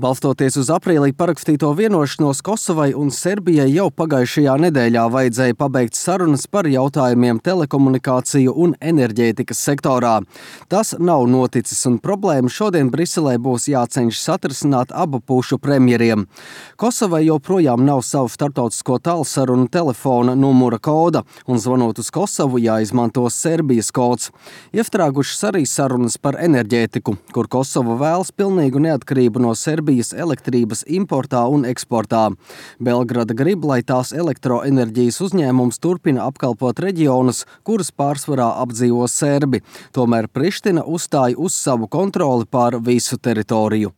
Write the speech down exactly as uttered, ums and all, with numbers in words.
Balstoties uz aprīlī parakstīto vienošanos, Kosovai un Serbijai jau pagājušajā nedēļā vajadzēja pabeigt sarunas par jautājumiem telekomunikāciju un enerģētikas sektorā. Tas nav noticis, un problēma šodien Briselē būs jācenšas atrisināt abu pušu premjeriem. Kosovai joprojām nav savu starptautisko tālsarunu telefona numura koda, un zvanot uz Kosovu jāizmanto Serbijas kods. Iestrēgušas arī sarunas par enerģētiku, kur Kosova vēlas pilnīgu neatkarību no Serbijas elektrības importā un eksportā. Belgrada grib, lai tās elektroenerģijas uzņēmums turpina apkalpot reģionus, kurus pārsvarā apdzīvo serbi. Tomēr Priština uzstāja uz savu kontroli pār visu teritoriju.